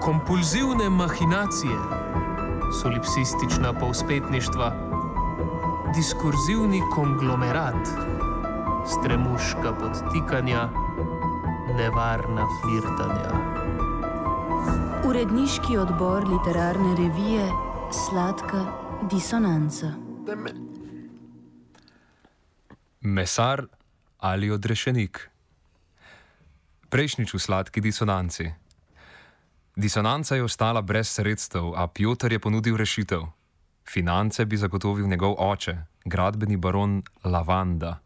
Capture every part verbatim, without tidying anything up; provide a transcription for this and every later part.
kompulzivne mahinacije, solipsistična povspetništva, diskurzivni konglomerat, stremuška podtikanja, nevarna flirtanja. Uredniški odbor literarne revije Sladka disonanca. Mesar ali odrešenik. Prejšnjič v Sladki disonanci. Disonanca je ostala brez sredstev, a Pjotr je ponudil rešitev. Finance bi zagotovil njegov oče, gradbeni baron Lavanda.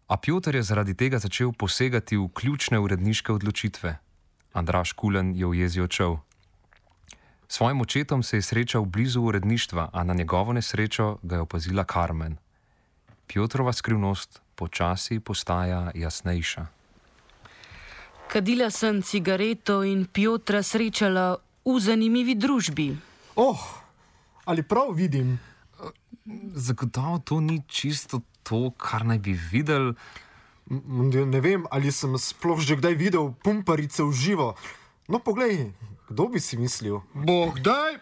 A Pjotr je zaradi tega začel posegati v ključne uredniške odločitve. Andraž Kulen je v jezi odšel. S svojim očetom se je srečal blizu uredništva, a na njegovo nesrečo ga je opazila Carmen. Pjotrova skrivnost počasi postaja jasnejša. Kadila sem cigareto in Pjotra srečala v zanimivi družbi. Oh, ali prav vidim? Zagotovo to ni čisto to, kar naj bi videl. Ne vem, ali sem sploh že kdaj videl pumparice v živo. No, poglej, kdo bi si mislil? Bog daj!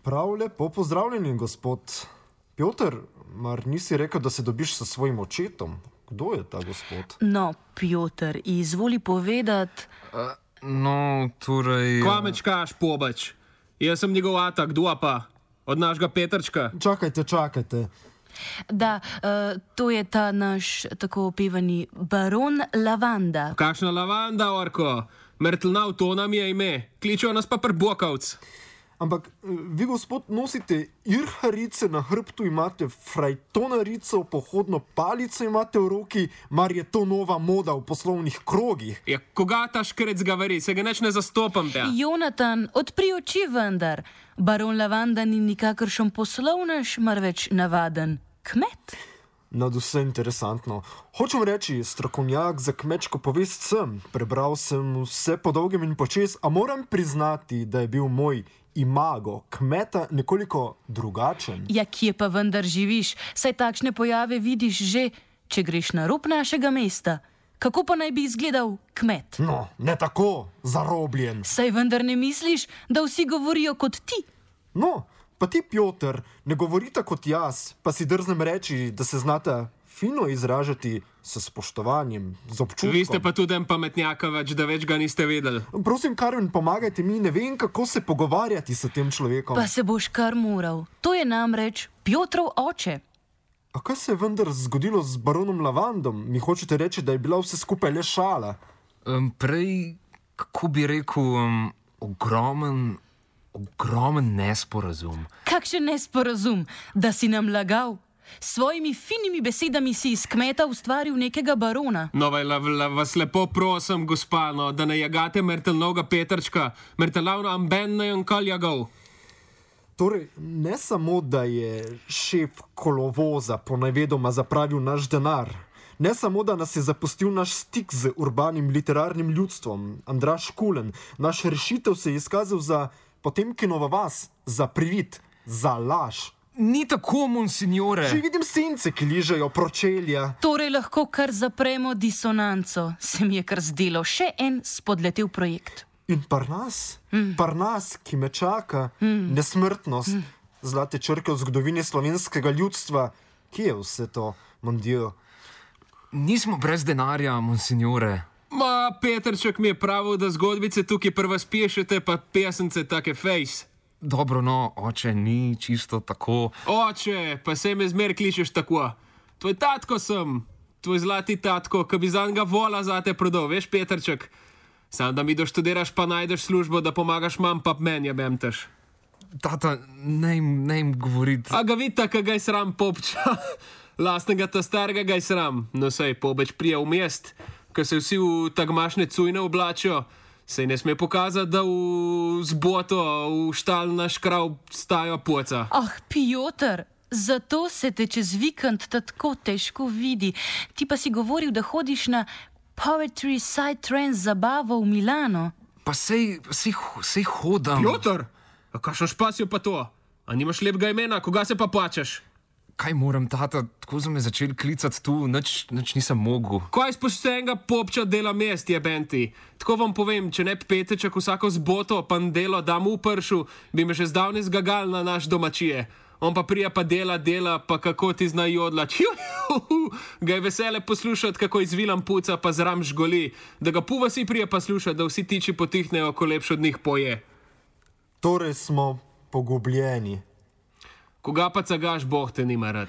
Prav lepo pozdravljeni, gospod Pjotr. Mar nisi rekel, da se dobiš s svojim očetom? Kdo je ta gospod? No, Pjotr, izvoli povedati. Uh, no, torej... Kvamečkaš, pobač. Jaz sem njegov ata, kdo pa? Od našega Petrčka. Čakajte, čakajte. Da, uh, to je ta naš tako opevani baron Lavanda. Kakšna Lavanda, orko? Mrtlnav, to nam je ime. Kličejo nas pa prbokavc. Ampak vi, gospod, nosite irharice na hrbtu, imate frajtonarico, pohodno palico imate v roki, mar je to nova moda v poslovnih krogih? Ja, koga ta škrec govori, se ga neč ne zastopam te. Jonatan, odpri oči vendar. Baron Lavanda ni nikakršen poslovnež, marveč navaden kmet. Nad vse interesantno. Hočem reči, strokovnjak za kmečko povest sem. Prebral sem vse po dolgem in počes, a moram priznati, da je bil moj imago kmeta nekoliko drugačen. Ja, kje pa vendar živiš? Saj takšne pojave vidiš že, če greš na rob našega mesta. Kako pa naj bi izgledal kmet? No, ne tako, zarobljen. Saj vendar ne misliš, da vsi govorijo kot ti? No, pa ti, Pjotr, ne govorite kot jaz, pa si drznem reči, da se znate fino izražati s spoštovanjem, z občutkom. Vi ste pa tudi en pametnjaka več, da več ga niste vedeli. Prosim, Carmen, pomagajte mi, ne vem, kako se pogovarjati s tem človekom. Pa se boš kar moral. To je namreč Pjotrov oče. A kaj se je vendar zgodilo z baronom Lavandom? Mi hočete reči, da je bila vse skupaj le šala? Um, prej, kako bi rekel, um, ogromen, ogromen nesporazum. Kakšen nesporazum, da si nam lagal? S svojimi finimi besedami si iz kmeta ustvaril nekega barona. No, vaj, la, la, vas lepo prosim, gospa, no, da ne jagate mrtelnoga Petrčka. Mrtelavno amben ne jonkal jagal. Torej, ne samo, da je šef kolovoza ponavedoma zapravil naš denar, ne samo, da nas je zapustil naš stik z urbanim literarnim ljudstvom, Andraž Kulen, naš rešitev se je izkazal za Potemkinova vas, za privid, za laž. Ni tako, monsignore. Že vidim sence, ki ližejo pročelja. Torej lahko kar zapremo disonanco. Se mi je kar zdelo še en spodletel projekt. In par nas, mm. par nas, ki me čaka, mm. nesmrtnost, mm. zlate črke v zgodovini slovenskega ljudstva. Kje je vse to, mon Dio? Nismo brez denarja, monsignore. Ma, Petrček mi je pravil, da zgodbice tukaj prva spiešete, pa pesence take fejs. Dobro, no, oče, ni čisto tako. Oče, pa se me zmer kličeš tako. Tvoj tatko sem, tvoj zlati tatko, ki bi zanj ga vola zate prodal, veš, Petrček? Sam da mi doštudiraš, pa najdeš službo, da pomagaš mam, pa menja bemteš. Tata, ne jim govoriti. A ga vidite, kaj ga je sram popča. Lastnega ta starega ga je sram. No sej, pobeč prija v mest, ko se vsi v tagmašne cujne oblačijo. Sej ne sme pokazati, da v zboto, v štal naš krav stajo poca. Ah, Pjotr, zato se te čez vikend tako težko vidi. Ti pa si govoril, da hodiš na Poetry Side Trend zabavo v Milano. Pa sej, sej, sej hodam. Pjotr, a kakšen špas je pa to? A nimaš lepega imena, koga se pa plačaš? kaj moram, tata, tako so me začeli klicati tu, nič, nič nisem mogel. Kaj spoštenega popča dela mest je benti? Tako vam povem, če ne Peteček vsako zboto pa delo dam v pršu, bi me že zdavni zgagal na naš domačije. On pa prija pa dela, dela, pa kako ti zna jodlač. Ga je vesele poslušati, kako izvilam puca pa zram žgoli, da ga puva si prija pa slušati, da vsi tiči potihnejo, ko lepš od njih poje. Torej smo pogubljeni. Koga pa cagaš, Bog te nima rad.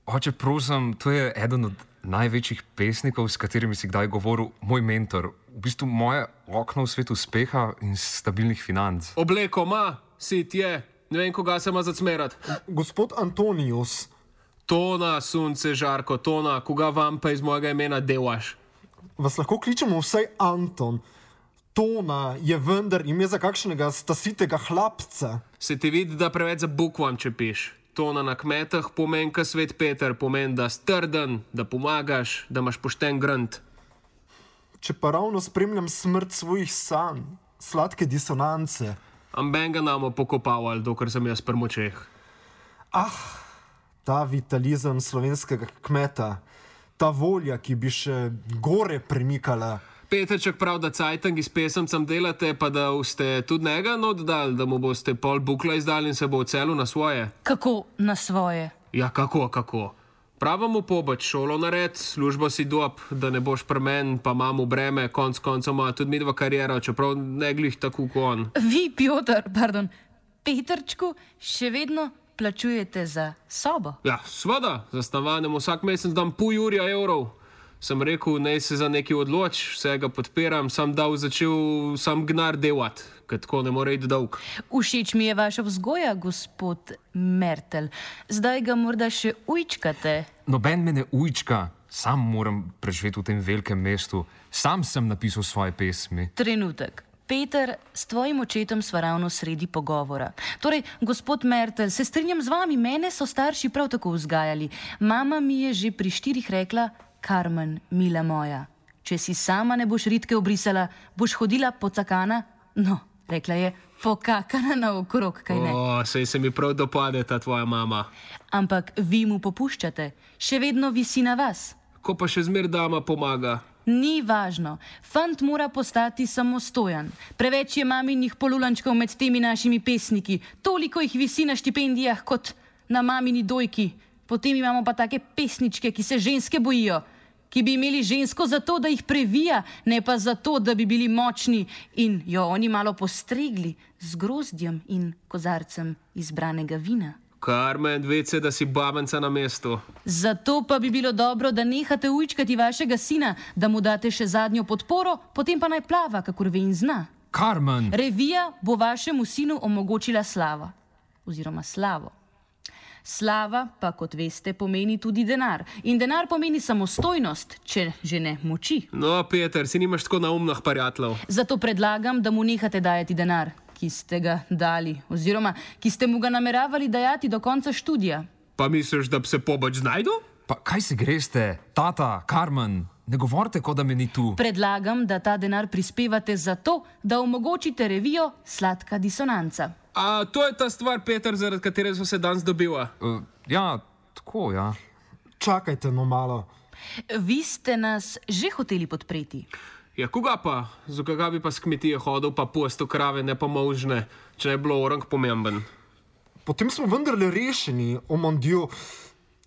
Oče, prosim, to je eden od največjih pesnikov, s katerimi si kdaj govoril, moj mentor. V bistvu moje okno v svet uspeha in stabilnih financ. Obleko ma, sit je. Ne vem, koga se ima zacmerat. Gospod Antonius. Tona, sunce, žarko, Tona, koga vam pa iz mojega imena devaš? Vas lahko kličemo vsaj Anton. Tona je vendar ime za kakšnega stasitega hlapca. Se ti vidi, da preveč za bukvam čepiš. Tona na kmetah pomeni, ka svet Peter, pomeni, da strden, da pomagaš, da imaš pošten grant. Če pa ravno spremljam smrt svojih sanj, sladke disonance. Amben ga namo pokopavali, dokler sem jaz pri močeh. Ah, ta vitalizem slovenskega kmeta, ta volja, ki bi še gore premikala. Petrček prav, da cajtang iz pesemcem delate, pa da ste tudi njega oddali, da mu boste pol bukla izdali in se bo ocelil na svoje. Kako na svoje? Ja, kako, kako. Pravo mu pobač, šolo nared, službo si dob, da ne boš premen, pa imamo breme, konc koncov ima tudi midva karijera, čeprav ne glih tako kot on. Vi, Piotr, pardon, Petrčku, še vedno plačujete za sobo? Ja, sveda, za stanovanje vsak mesec dam pol jurja evrov. Sem rekel, naj se za nekaj odloč, vse ga podpiram, sam dal začel sam gnar delat, ker tako ne more iti dolg. Všeč mi je vaša vzgoja, gospod Mertel. Zdaj ga morda še ujčkate. Noben me ne ujčka, sam moram preživeti v tem velikem mestu. Sam sem napisal svoje pesmi. Trenutek. Peter, s tvojim očetom sva ravno sredi pogovora. Torej, gospod Mertel, se strinjam z vami, mene so starši prav tako vzgajali. Mama mi je že pri štirih rekla: Carmen, mila moja, če si sama ne boš ritke obrisala, boš hodila pocakana, no, rekla je, pokakana naokrog, kaj ne? O, sej se mi prav dopade ta tvoja mama. Ampak vi mu popuščate, še vedno visi na vas. Ko pa še zmer dama pomaga. Ni važno, fant mora postati samostojan. Preveč je maminih polulančkov med temi našimi pesniki, toliko jih visi na štipendijah kot na mamini dojki. Potem imamo pa take pesničke, ki se ženske bojijo, ki bi imeli žensko zato, da jih previja, ne pa zato, da bi bili močni in jo oni malo postregli z grozdjem in kozarcem izbranega vina. Carmen, vece, da si babenca na mestu. Zato pa bi bilo dobro, da nehate ujčkati vašega sina, da mu date še zadnjo podporo, potem pa naj plava, kakor ve in zna. Carmen! Revija bo vašemu sinu omogočila slava. Oziroma slavo. Slava pa, kot veste, pomeni tudi denar. In denar pomeni samostojnost, če že ne moči. No, Peter, si nimaš tako naumnih prijateljev. Zato predlagam, da mu nehate dajati denar, ki ste ga dali, oziroma ki ste mu ga nameravali dajati do konca študija. Pa misliš, da bi se pobač znajdu? Pa kaj si greste? Tata, Carmen, ne govorite, kot da me ni tu. Predlagam, da ta denar prispevate zato, da omogočite revijo Sladka disonanca. A to je ta stvar, Peter, zaradi katere so se danes dobiva? Uh, ja, tako, ja. Čakajte no malo. Vi ste nas že hoteli podpreti. Ja, koga pa? Zakaj bi pa s kmetije hodil, pa posto krave, ne pa možne, če je bilo orang pomemben? Potem smo vendarle rešeni, o mon Dieu.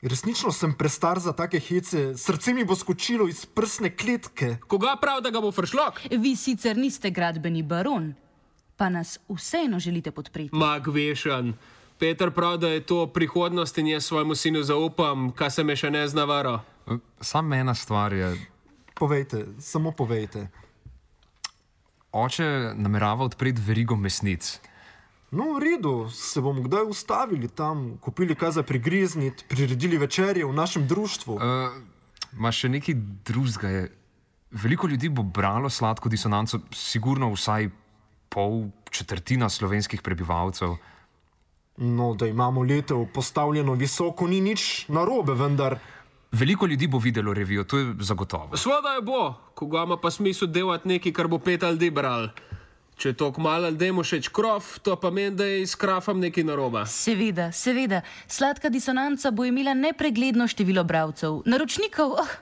Resnično sem prestar za take hece, srce mi bo skočilo iz prsne kletke. Koga prav, da ga bo fršlok? Vi sicer niste gradbeni baron, pa nas vseeno želite podpreti. Mag vešan. Peter prav, da je to prihodnost in jaz svojemu sinu zaupam, kaj se me še ne zna varo. Uh, Sam ena stvar je... Povejte, samo povejte. Oče namerava odpreti verigo mesnic. No, v redu, se bomo kdaj ustavili tam, kupili kaj za prigrizniti, priredili večerje v našem društvu. Uh, ma še nekaj drugega je. Veliko ljudi bo bralo Sladko disonanco, sigurno vsaj pol četrtina slovenskih prebivalcev. No, da imamo letev postavljeno visoko, ni nič narobe, vendar... Veliko ljudi bo videlo revijo, to je zagotovo. Svoda je bo, koga ima pa smisel delati nekaj, kar bo pet ali dibral. Če je to kmalo ljudem všeč krof, to pa meni, da je s krafom nekaj narobe. Seveda, seveda. Sladka disonanca bo imela nepregledno število bralcev. Naročnikov, oh,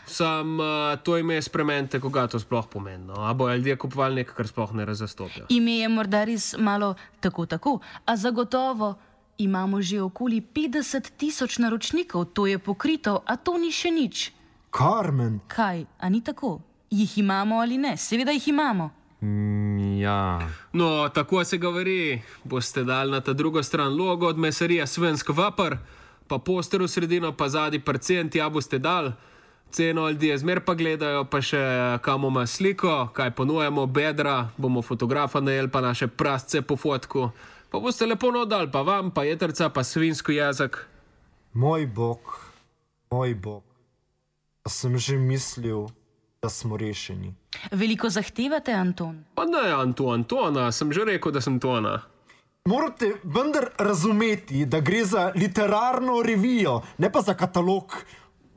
Sam uh, to ime spremenite, koga to sploh pomeni. No? A bojo ljudje kupovali nekaj, kar sploh ne razastopijo. ime je morda res malo tako tako, a zagotovo imamo že okoli petdeset tisoč naročnikov, to je pokrito, a to ni še nič. Carmen, Kaj, a ni tako? Jih imamo ali ne? Seveda jih imamo. Mm, ja, No, tako se govori. Boste dali na ta drugo stran logo od meserija Svensk Vapor, pa poster v sredino, pa zadnji percent, ja boste dali. Ceno ljudje zmer pa gledajo, pa še kam ima sliko, kaj ponujemo, bedra, bomo fotografa najeli, pa naše prasce po fotku. Pa boste lepo nodali, pa vam, pa jetrca, pa svinsko jezik. moj bog, moj bog. Pa sem že mislil, da smo rešeni. Veliko zahtevate, Anton? Pa ne, Anto, Antona, sem že rekel, da sem Tona. Morate vendar razumeti, da gre za literarno revijo, ne pa za katalog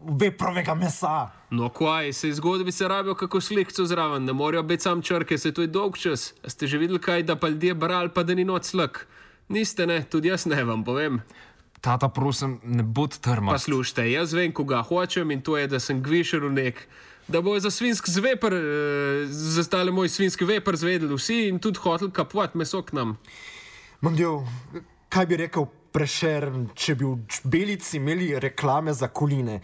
veprovega mesa. No, kaj, se zgodbi se rabijo kako slikco zraven, ne morajo biti sam črke, se to je dolg čas. A ste že videli kaj, da pa ljudje brali, pa da ni noč slak? Niste, ne, tudi jaz ne vam povem. tata, prosim, ne bod Pa trmast. slušajte, jaz vem, koga hočem in to je, da sem gvišer v nek. Da bo za svinsk zveper, eh, za stale moj svinski veper zvedeli vsi in tudi hotel kapovat meso k nam. Mondjo, kaj bi rekel Prešern, če bi v Belici imeli reklame za koline?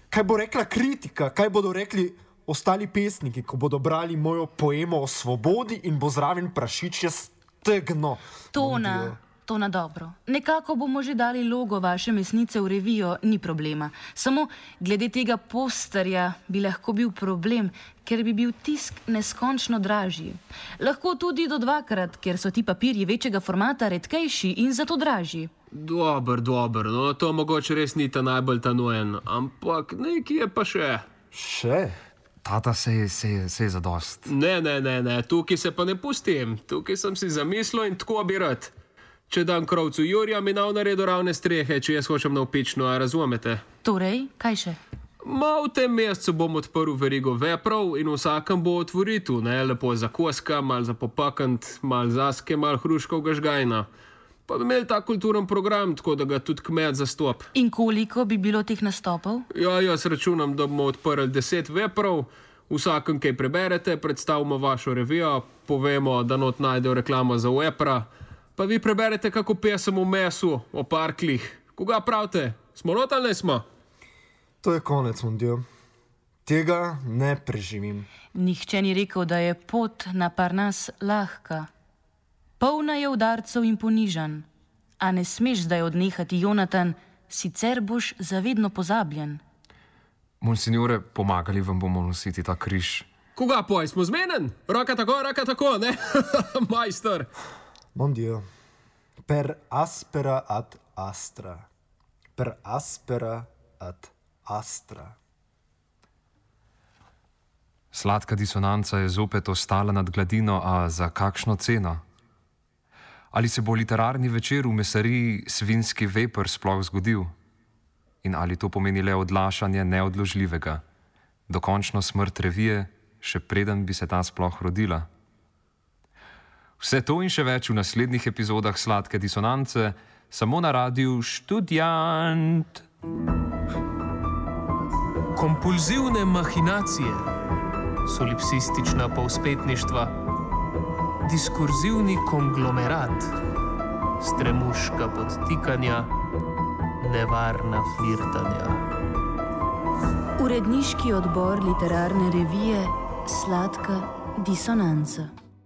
Kaj bo rekla kritika, kaj bodo rekli ostali pesniki, ko bodo brali mojo poemo o svobodi in bo zraven prašičje stegno? Tona, to na dobro. Nekako bomo že dali logo vaše mesnice v revijo, ni problema. Samo glede tega posterja bi lahko bil problem, ker bi bil tisk neskončno dražji. Lahko tudi do dvakrat, ker so ti papirji večjega formata redkejši in zato dražji. Dober, dober, no to mogoče res ni ta najbolj ta nujen, ampak nekaj je pa še. Še? Tata, se je, se je, se je zadost. Ne, ne, ne, ne, tukaj se pa ne pustim, tukaj sem si zamislil in tako bi rad. Če dam krovcu Jurija, mi nav naredo ravne strehe, če jaz hočem na upično, a razumete? Torej, kaj še? Ma v tem mesecu bom odprl verigo veprov in vsakem bo otvoritu, ne, lepo za koska, mal za popakant, mal zaske, mal hruškov gažgajna. Pa bi imeli ta kulturen program, tako da ga tudi kmet zastop. In koliko bi bilo teh nastopov? Ja, jaz računam, da bomo odprli deset veprov, vsakem kaj preberete, predstavimo vašo revijo, povemo, da not najdejo reklamo za vepra, pa vi preberete kako pesem o mesu, o parklih. Koga pravite? Smo not ali ne smo? To je konec, Mondjo. Tega ne preživim. Nihče ni rekel, da je pot na Parnas lahka. Polna je udarcev in ponižanj. A ne smeš zdaj odnehati, Jonatan, sicer boš zavedno pozabljen. Monsignore, pomagali vam bomo nositi ta križ. Koga poj, smo zmenen? Roka tako, roka tako, ne? Majster. Mondjo, per aspera ad astra. Per aspera ad astra. Sladka disonanca je zopet ostala nad gladino, a za kakšno ceno? Ali se bo literarni večer v mesariji Svinski veper sploh zgodil? In ali to pomeni le odlašanje neodložljivega, dokončno smrt revije, še preden bi se ta sploh rodila? Vse to in še več v naslednjih epizodah Sladke disonance, samo na radiu Študjant. Kompulzivne mahinacije, solipsistična povspetništva, diskurzivni konglomerat, stremuška podtikanja, nevarna flirtanja. Uredniški odbor literarne revije Sladka disonanca.